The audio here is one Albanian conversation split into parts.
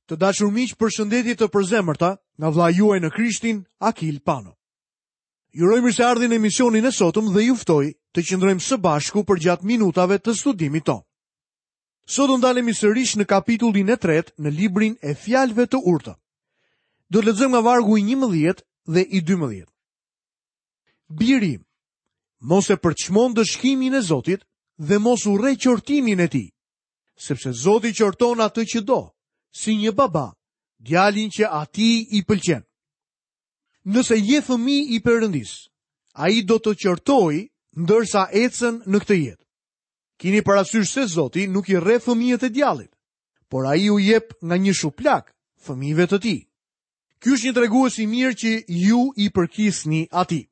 Të dashur miq, përshëndetje të përzemërta nga vëllai juaj në Krishtin, Akil Pano. Ju uroj mirëseardhjen në emisionin e sotëm dhe ju ftoj të qëndrojmë së bashku përgjatë minutave të studimit tonë. Sot do ndalemi sërish në kapitullin e tretë në librin e fjalëve të urta. Do të lexojmë nga vargu i 11 dhe i 12. Biri im, mos e përçmo ndëshkimin e Zotit dhe mos urre qortimin e tij, sepse Zoti qorton atë që do, si një baba, djalin që atij i pëlqen. Nëse je fëmijë i Perëndisë, ai do të qortojë ndërsa ecën në këtë jetë. Kini parasysh se Zoti nuk i rreh fëmijët e djallit, por ai u jep nga një shuplakë fëmijëve të tij. Ky është një tregues i mirë që ju i përkisni atij.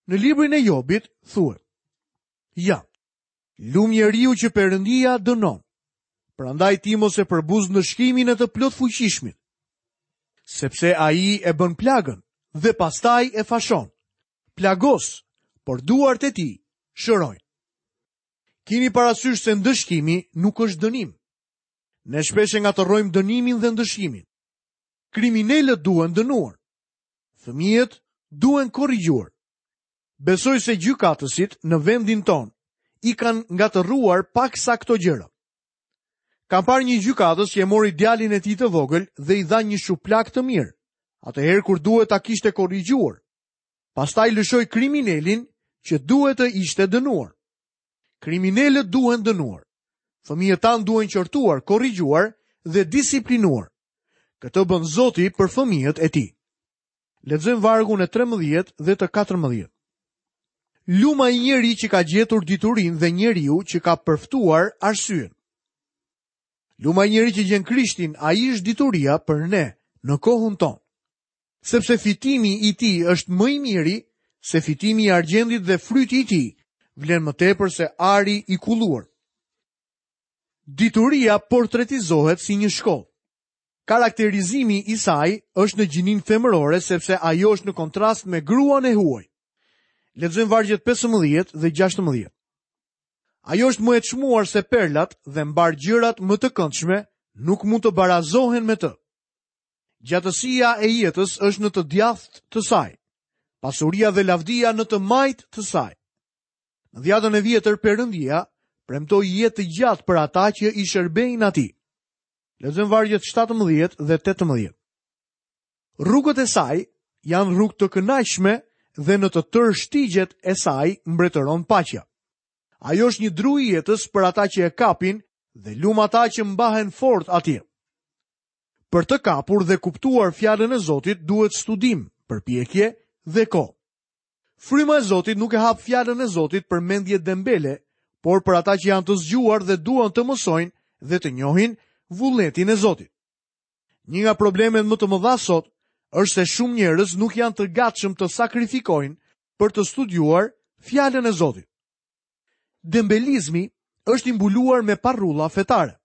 Në librin e Jobit thuhet: Ja, Lum njeriu që Perëndia dënon. Prandaj ti mos e përbuz ndëshkimin e të plotfuqishmit, sepse ai e bën plagën dhe pastaj e fashon. Plagos, por duart e tij shërojnë. Kini parasysh se ndëshkimi nuk është dënim. Ne shpesh e ngatërrojmë dënimin dhe ndëshkimin. Kriminelët duhen dënuar. Fëmijët duhen korrigjuar. Besoj se gjykatësit në vendin tonë i kanë ngatërruar paksa këto gjëra. Kam parë një gjykatës që e mori djalin e tij të vogël dhe i dha një shuplakë të mirë, atëherë kur duhet ta kishte korrigjuar. Pastaj lëshoi kriminelin që duhet të ishte dënuar. Kriminelët duhen dënuar. Fëmijët tanë duhen qortuar, korrigjuar dhe disiplinuar. Këtë bën Zoti për fëmijët e tij. Lexojmë vargun e 13 dhe të 14. Lum ai njeri që ka gjetur diturinë dhe njeriu që ka përftuar arsyen. Lum ai njeri që gjen Krishtin, ai është dituria për ne në kohën tonë. Sepse fitimi i tij është më i miri se fitimi i argjendit dhe fryti i tij vlen më tepër se ari i kulluar. Dituria portretizohet si një shkollë. Karakterizimi i saj është në gjininë femërore sepse ajo është në kontrast me gruan e huaj. Lexojmë vargjet 15 dhe 16. Ajo është më e çmuar se perlat dhe mbarë gjërat më të këndshme nuk mund të barazohen me të. Gjatësia e jetës është në të djathtë të saj, pasuria dhe lavdia në të majtë të saj. Në Dhiatën e Vjetër Perëndia premtoi jetë të gjatë për ata që i shërbejnë atij. Lexojmë vargjet 17 dhe 18. Rrugët e saj janë rrugë të kënaqshme dhe në të tërë shtigjet e saj mbretëron paqja. Ajo është një dru i jetës për ata që e kapin dhe lum ata që mbahen fort atje. Për të kapur dhe kuptuar fjalën e Zotit duhet studim, përpjekje dhe kohë. Fryma e Zotit nuk e hap fjalën e Zotit për mendje dembele, por për ata që janë të zgjuar dhe duan të mësojnë dhe të njohin vullnetin e Zotit. Një nga problemet më të mëdha sot është se shumë njerëz nuk janë të gatshëm të sakrifikojnë për të studiuar fjalën e Zotit. Dembelizmi është i mbuluar me parrulla fetare.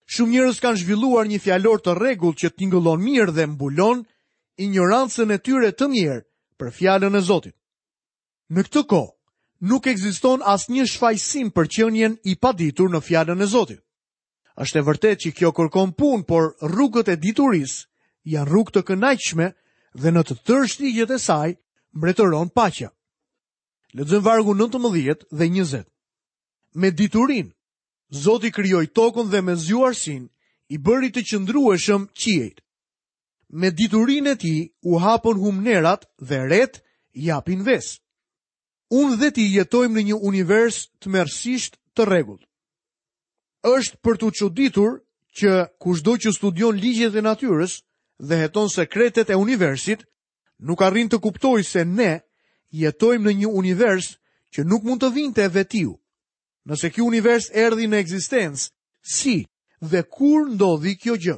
Shumë njerëz kanë zhvilluar një fjalor të rregullt që tingëllon mirë dhe mbulon injorancën e tyre të mjerë për fjalën e Zotit. Në këtë kohë, nuk ekziston asnjë shfajësim për qenien i paditur në fjalën e Zotit. Është e vërtetë që kjo kërkon punë, por rrugët e diturisë janë rrugë të kënaqshme dhe në të tërë shtigjet e saj mbretëron paqja. Lexojmë vargun 19 dhe 20. Me diturinë, Zoti krijoi tokën dhe me zgjuarsinë i bëri të qëndrueshëm qiejt. Me diturinë e tij u hapën humnerat dhe retë japin vesë. Unë dhe ti jetojmë në një univers tmerrësisht të rregullt. Është për t'u çuditur që kushdo që studion ligjet e natyrës dhe heton sekretet e universit, nuk arrin të kuptojë se ne jetojmë në një univers që nuk mund të vinte vetiu. Nëse ky univers erdhi në ekzistencë, si dhe kur ndodhi kjo gjë?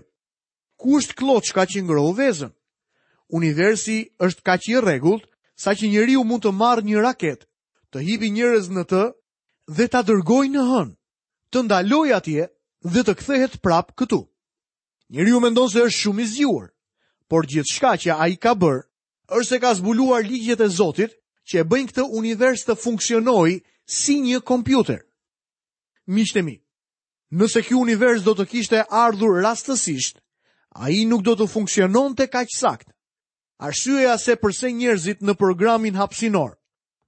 Ku është klloçka që ngrohu vezën? Universi është kaq i rregullt saqë njeriu mund të marrë një raketë, të hipi njerëz në të dhe ta dërgojë në hënë, të ndalojë atje dhe të kthehet prapë këtu. Njeriu mendon se është shumë i zgjuar, por gjithçka që ai ka bërë është se ka zbuluar ligjet e Zotit që e bëjnë këtë univers të funksionojë si një kompjuter. Miqtë e mi, Nëse ky univers do të kishte ardhur rastësisht, ai nuk do të funksiononte kaq saktë. Arsyeja se përse njerëzit në programin hapësinor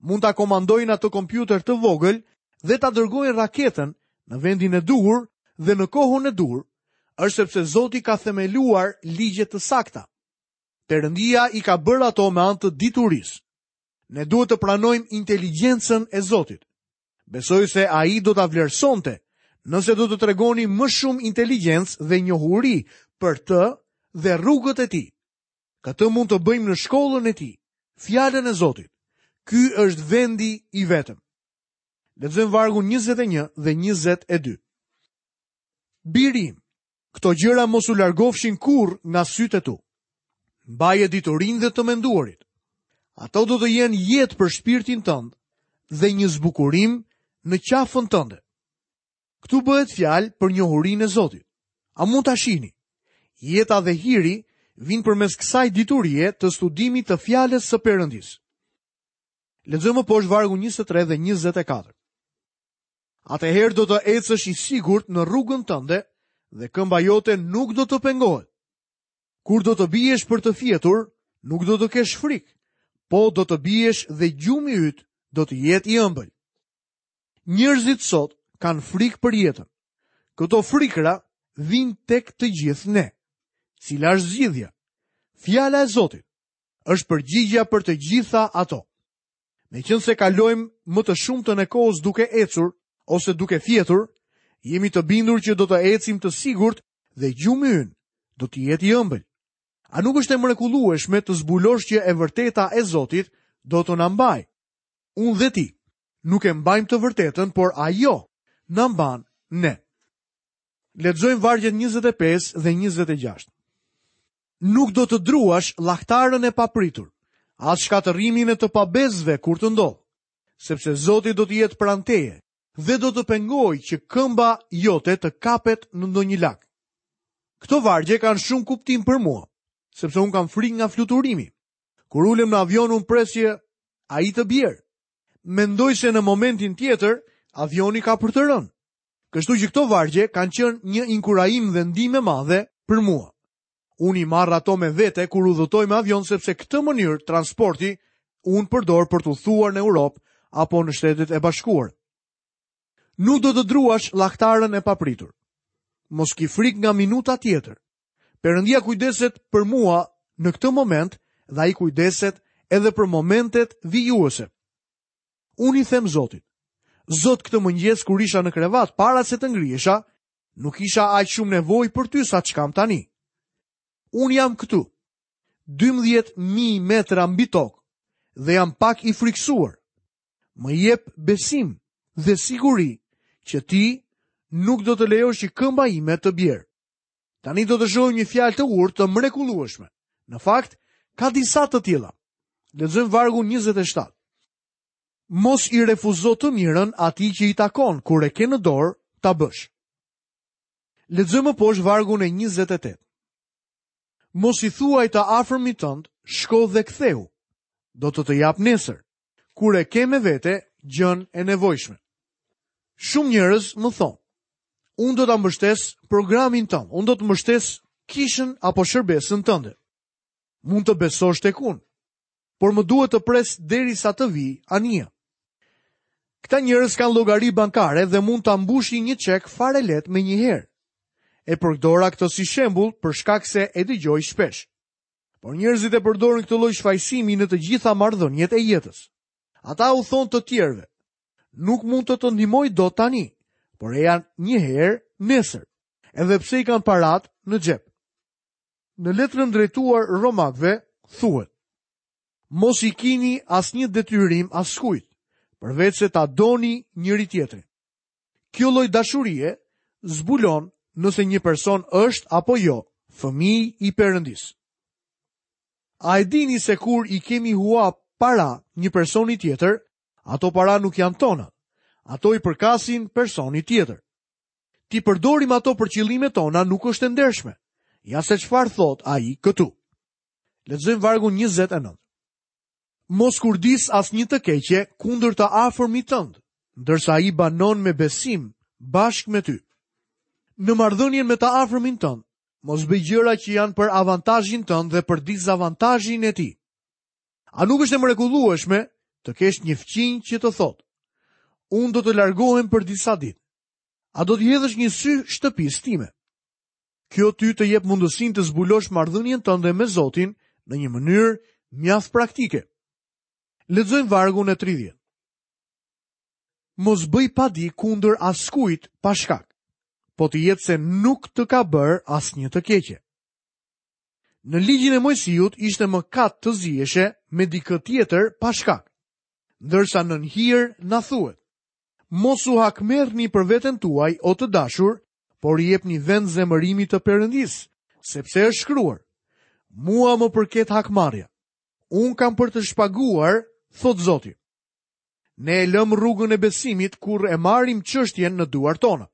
mund ta komandojnë atë kompjuter të vogël dhe ta dërgojnë raketën në vendin e duhur dhe në kohën e duhur, është sepse Zoti ka themeluar ligje të sakta. Perëndia i ka bërë ato me anë të diturisë. Ne duhet të pranojmë inteligjencën e Zotit. Besoj se ai do ta vlerësonte nëse do të tregonim më shumë inteligjencë dhe njohuri për të dhe rrugët e tij. Këtë mund të bëjmë në shkollën e tij, fjalën e Zotit. Ky është vendi i vetëm. Lexojmë vargun 21 dhe 22. Biri im, këto gjëra mos u largofshin kurrë nga sytë e tu. Mbaje diturinë dhe të menduarit. Ato do të jenë jetë për shpirtin tënd dhe një zbukurim në qafën tënde. Këtu bëhet fjalë për njohurinë e Zotit. A mund ta shihni? Jeta dhe hiri vijnë përmes kësaj diturie të studimit të fjalës së Perëndisë. Lexojmë më poshtë vargun 23 dhe 24. Atëherë do të ecësh i sigurt në rrugën tënde dhe këmba jote nuk do të pengohet. Kur do të biesh për të fjetur, nuk do të kesh frikë, po do të biesh dhe gjumi yt do të jetë i ëmbël. Njerëzit sot kanë frikë për jetën. Këto frikëra vijnë tek të gjithë ne. Cila është zgjidhja? Fjala e Zotit është përgjigja për të gjitha ato. Meqenëse kalojmë më të shumtën e kohës duke ecur ose duke fjetur, jemi të bindur që do të ecim të sigurt dhe gjumi ynë do të jetë i ëmbël. A nuk është e mrekullueshme të zbulosh që e vërteta e Zotit do të na mbajë? Unë dhe ti nuk e mbajmë të vërtetën, por ajo na mban ne. Lexojmë vargjet 25 dhe 26. Nuk do të druash llahtarën e papritur, as shkatërrimin e të pabesëve kur të ndodhë, sepse Zoti do të jetë pranë teje dhe do të pengojë që këmba jote të kapet në ndonjë lak. Këto vargje kanë shumë kuptim për mua, sepse unë kam frikë nga fluturimi. Kur ulem në avion unë pres që ai të bjerë. Mendoj se në momentin tjetër avioni ka për të rënë. Kështu që këto vargje kanë qenë një inkurajim dhe ndihmë e madhe për mua. Unë i marr ato me vete kur udhëtoj me avion sepse këtë mënyrë transporti unë përdor për të udhëtuar në Europë apo në Shtetet e Bashkuara. Nuk do të druash llahtarën e papritur. Mos ki frikë nga minuta tjetër. Perëndia kujdeset për mua në këtë moment dhe ai kujdeset edhe për momentet vijuese. Unë i them Zotit, Zot këtë mëngjes kur isha në krevat para se të ngrihesha, nuk kisha aq shumë nevojë për ty sa ç'kam tani. Unë jam këtu, 12.000 metra mbi tokë dhe jam pak i frikësuar. Më jep besim dhe siguri që ti nuk do të lejosh që këmba ime të bjerë. Tani do të shohim një fjalë të urtë të mrekullueshme. Në fakt, ka disa të tilla. Lexojmë vargun 27. Mos i refuzo të mirën atij që i takon kur e ke në dorë ta bësh. Lexojmë më poshtë vargun e 28. Mos i thuaj të afërmit tënd, shko dhe kthehu. Do të të jap nesër, kur e ke me vete gjënë e nevojshme. Shumë njerëz më thonë, unë do ta mbështes programin tënd, unë do të mbështes kishën apo shërbesën tënde. Mund të besosh tek unë, por më duhet të pres derisa të vijë anija. Këta njerëz kanë llogari bankare dhe mund ta mbushin një çek fare lehtë menjëherë. E përdora këtë si shembull për shkak se e dëgjoj shpesh. Por njerëzit e përdorin këtë lloj shfajësimi në të gjitha marrëdhëniet e jetës. Ata u thonë të tjerëve, nuk mund të të ndihmoj dot tani, por eja një herë nesër, edhe pse i kanë paratë në xhep. Në letrën drejtuar Romakëve thuhet: Mos i kini asnjë detyrim askujt, përveçse ta doni njëri-tjetrin. Kjo lloj dashurie zbulon nëse një person është apo jo fëmijë i Perëndisë. A e dini se kur i kemi hua para një personi tjetër, ato para nuk janë tona. Ato i përkasin personit tjetër. T'i përdorim ato për qëllimet tona nuk është e ndershme. Ja se çfarë thotë ai këtu. Lexojmë vargun 29. Mos kurdis asnjë të keqe kundër të afërmit tënd, ndërsa ai banon me besim bashkë me ty. Në marrëdhënien me të afërmin tënd, mos bëj gjëra që janë për avantazhin tënd dhe për dizavantazhin e tij. A nuk është e mrekullueshme të kesh një fqinj që të thotë: Unë do të largohem për disa ditë. A do t'i hedhësh një sy shtëpisë time? Kjo ty të jep mundësinë të zbulosh marrëdhënien tënde me Zotin në një mënyrë mjaft praktike. Lexojmë vargun e 30. Mos bëj padi kundër askujt pa shkak, po të jetë se nuk të ka bërë asnjë të keqe. Në ligjin e Moisiut ishte mëkat të ziheshe me dikë tjetër pa shkak. Ndërsa nën hir na thuhet: Mos u hakmerrni për veten tuaj, o të dashur, por i jepni vend zemërimit të Perëndisë, sepse është shkruar: Mua më përket hakmarrja. Unë kam për të shpaguar, thotë Zoti. Ne e lëmë rrugën e besimit kur e marrim çështjen në duart tona.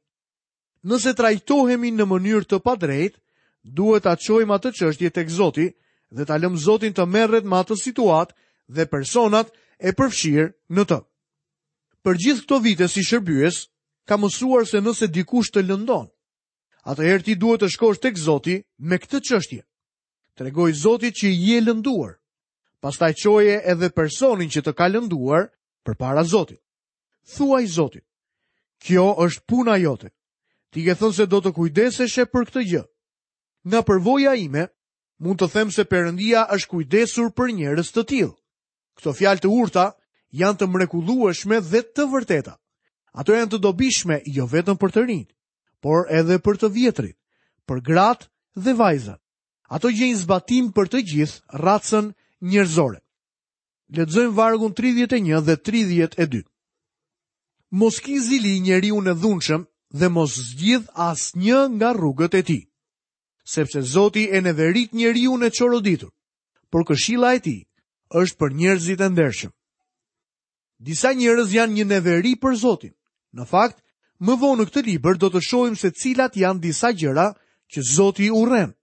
Nëse trajtohemi në mënyrë të padrejtë, duhet ta çojmë atë çështje tek Zoti dhe ta lëmë Zotin të merret me atë situatë dhe personat e përfshirë në të. Për gjithë këto vite si shërbyes, kam mësuar se nëse dikush të lëndon, atëherë ti duhet të shkosh tek Zoti me këtë çështje. Tregoji Zotit që je lënduar. Pastaj çoje edhe personin që të ka lënduar përpara Zotit. Thuaji Zotit, kjo është puna jote. Ti ke thënë se do të kujdeseshe për këtë gjë. Nga përvoja ime, mund të them se Perëndia është kujdesur për njerëz të tillë. Këto fjalë të urta janë të mrekullueshme dhe të vërteta. Ato janë të dobishme jo vetëm për të rinjtë, por edhe për të vjetrit, për gratë dhe vajzat. Ato gjejnë zbatim për të gjithë racën njerëzore. Lexojmë vargun 31 dhe 32. Mos ki zili njeriun e dhunshëm dhe mos zgjidh asnjë nga rrugët e tij. Sepse Zoti e neverit njeriun e çoroditur, por këshilla e tij është për njerëzit e ndershëm. Disa njerëz janë një neveri për Zotin. Në fakt, më vonë në këtë libër do të shohim se cilat janë disa gjëra që Zoti urren.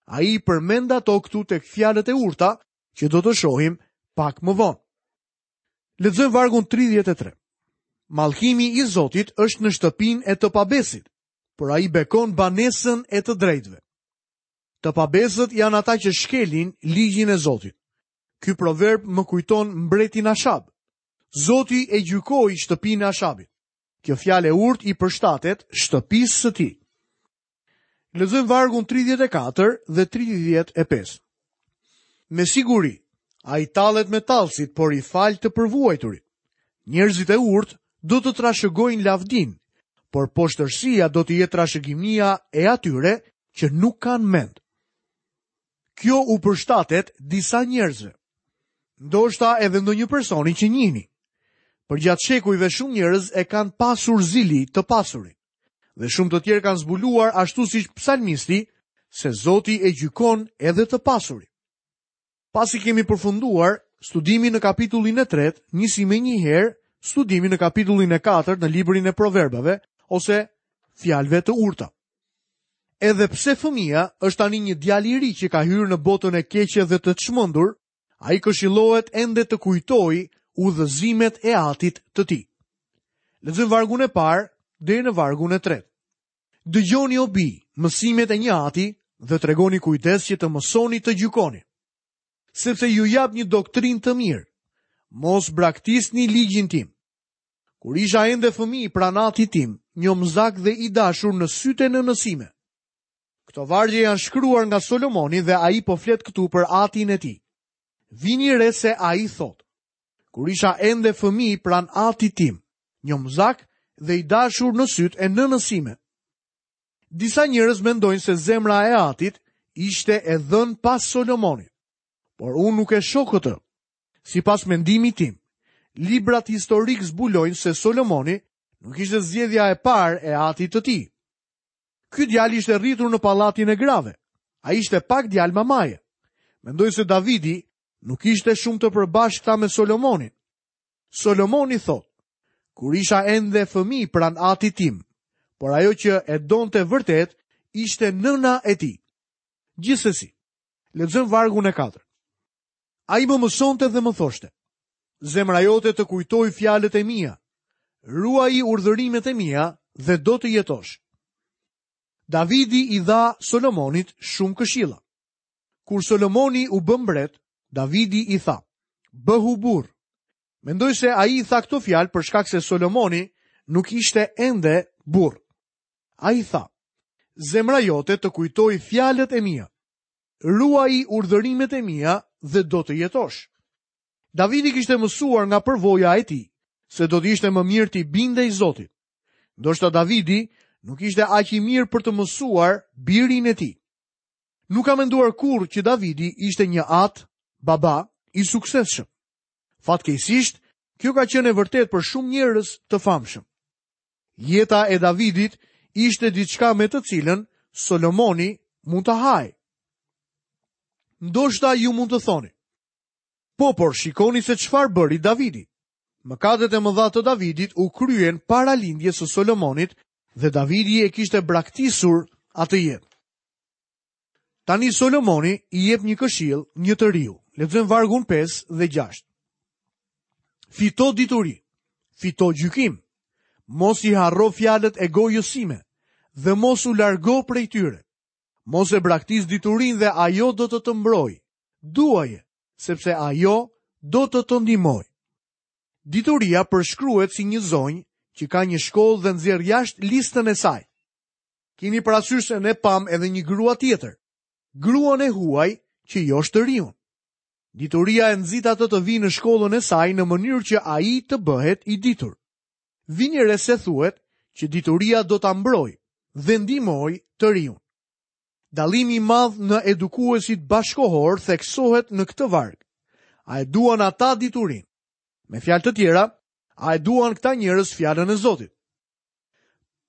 Ai i përmend ato këtu tek fjalët e urta që do të shohim pak më vonë. Lexojmë vargun 33. Mallkimi i Zotit është në shtëpinë e të pabesit, por ai bekon banesën e të drejtëve. Të pabesët janë ata që shkelin ligjin e Zotit. Ky proverb më kujton mbretin Ashab. Zoti e gjykoi shtëpinë e Ashabit. Kjo fjalë e urtë i përshtatet shtëpisë së tij. Lexojmë vargun 34 dhe 35. Me siguri, ai tallet me tallësit, por i fal të përvuajturit. Njerëzit e urtë do të trashëgojnë lavdinë, por poshtërsia do të jetë trashëgimia e atyre që nuk kanë mend. Kjo u përshtatet disa njerëzve. Ndoshta edhe ndonjë personi që njihni. Përgjatë shekujve shumë njerëz e kanë pasur zili të pasurin. Dhe shumë të tjerë kanë zbuluar ashtu siç psalmisti se Zoti e gjykon edhe të pasurin. Pasi kemi përfunduar studimin në kapitullin e tretë, nisim menjëherë studimin në kapitullin e katërt në librin e Proverbave ose fjalëve të urta. Edhe pse fëmija është tani një djalë i ri që ka hyrë në botën e keqe dhe të çmendur, ai këshillohet ende të kujtojë udhëzimet e atit të tij. Lexojmë vargun e parë deri në vargun e tretë. Dëgjoni o bij, mësimet e një ati dhe tregoni kujdes që të mësoni të gjykoni. Sepse ju jap një doktrinë të mirë. Mos braktisni ligjin tim. Kur isha ende fëmijë pranë atit tim, njomzak dhe i dashur në sytë e nënës sime. Këto vargje janë shkruar nga Solomoni dhe ai po flet këtu për atin e tij. Vini re se ai thotë, kur isha ende fëmijë pranë atit tim, njomzak dhe i dashur në sytë e nënës sime. Disa njerëz mendojnë se zemra e atit ishte e dhënë pas Solomonit, por unë nuk e shoh këtë. Sipas mendimit tim, librat historikë zbulojnë se Solomoni nuk ishte zgjedhja e parë e atit të tij. Ky djalë ishte rritur në pallatin e grave. Ai ishte pak djalë mamaje. Mendoj se Davidi nuk kishte shumë të përbashkëta me Solomonin. Solomoni thotë, kur isha ende fëmijë pranë atit tim, por ajo që e donte vërtet ishte nëna e tij. Gjithsesi, lexojmë vargun e 4. Ai më mësonte dhe më thoshte, zemra jote të kujtojë fjalët e mia, ruaji urdhërimet e mia dhe do të jetosh. Davidi i dha Solomonit shumë këshilla. Kur Solomoni u bë mbret, Davidi i tha: "Bëhu burrë." Mendoj se ai i tha këto fjalë për shkak se Solomoni nuk ishte ende burrë. Ai tha: "Zemra jote të kujtojë fjalët e mia. Ruaji urdhërimet e mia dhe do të jetosh." Davidi kishte mësuar nga përvoja e tij se do të ishte më mirë t'i bindej Zotit. Ndoshta Davidi nuk ishte aq i mirë për të mësuar birin e tij. Nuk kam menduar kurrë që Davidi ishte një atë, baba, i suksesshëm. Fatkeqësisht, kjo ka qenë e vërtetë për shumë njerëz të famshëm. Jeta e Davidit ishte diçka me të cilën Solomoni mund të hahej. Ndoshta ju mund të thoni, po, por shikoni se çfarë bëri Davidi. Mëkatet e mëdha të Davidit u kryen para lindjes së Solomonit dhe Davidi e kishte braktisur atë jetë. Tani Solomoni i jep një këshillë një të riu. Lexojmë vargun 5 dhe 6. Fito dituri, fito gjykim. Mos i harro fjalët e gojës sime dhe mos u largo prej tyre. Mos e braktis diturinë dhe ajo do të të mbrojë. Duaje, sepse ajo do të të ndihmojë. Dituria përshkruhet si një zonjë që ka një shkollë dhe nxjerr jashtë listën e saj. Kini parasysh se ne pamë edhe një grua tjetër, gruan e huaj që josh të riun. Dituria e nxit atë të vijë në shkollën e saj në mënyrë që ai të bëhet i ditur. Vini re se thuhet që dituria do ta mbrojë dhe ndihmojë të riun. Dallimi i madh në edukuesit bashkëkohorë theksohet në këtë varg. A e duan ata diturinë? Me fjalë të tjera, a e duan këta njerëz fjalën e Zotit?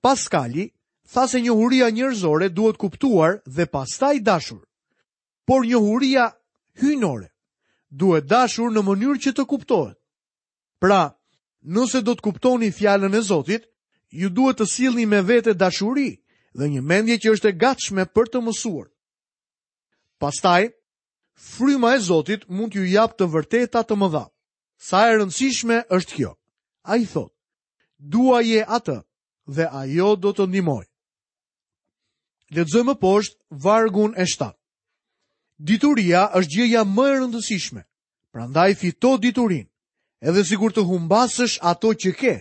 Paskali tha se njohuria njerëzore duhet kuptuar dhe pastaj dashur. Por njohuria hyjnore duhet dashur në mënyrë që të kuptohet. Pra, nëse do të kuptoni fjalën e Zotit, ju duhet të sillni me vete dashuri dhe një mendje që është e gatshme për të mësuar. Pastaj, fryma e Zotit mund t'ju japë të vërteta të mëdha. Sa e rëndësishme është kjo? Ai thotë, Duaje atë dhe ajo do të ndihmojë. Lexojmë më poshtë vargun e 7. Dituria është gjëja më e rëndësishme. Prandaj fito diturinë. Edhe sikur të humbasësh ato që ke,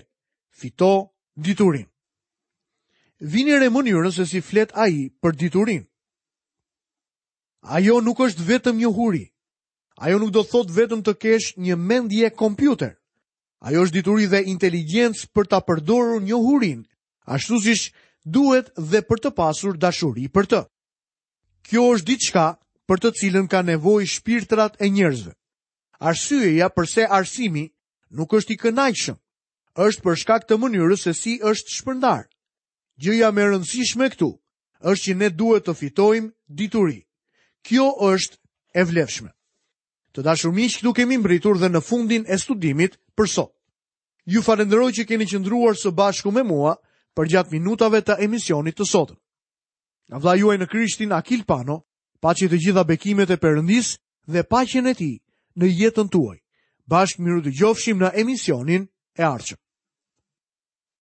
fito diturinë. Vini re mënyrën se si flet ai për diturinë. Ajo nuk është vetëm njohuri. Ajo nuk do të thotë vetëm të kesh një mendje kompjuter. Ajo është dituri dhe inteligjencë për ta përdorur njohurinë, ashtu siç duhet dhe për të pasur dashuri për të. Kjo është diçka për të cilën kanë nevojë shpirtrat e njerëzve. Arsyeja përse arsimi nuk është i kënaqshëm, është për shkak të mënyrës se si është shpërndarë. Gjëja më e rëndësishme këtu është që ne duhet të fitojmë dituri. Kjo është e vlefshme. Të dashur miq, këtu kemi mbërritur dhe në fundin e studimit për sot. Ju falënderoj që keni qëndruar së bashku me mua përgjatë minutave të emisionit të sotëm. Nga vëllai juaj në Krishtin Akil Pano, paçi të gjitha bekimet e Perëndisë dhe paqen e tij në jetën tuaj. Bashkë mirudëgjofshim në emisionin e ardhshëm.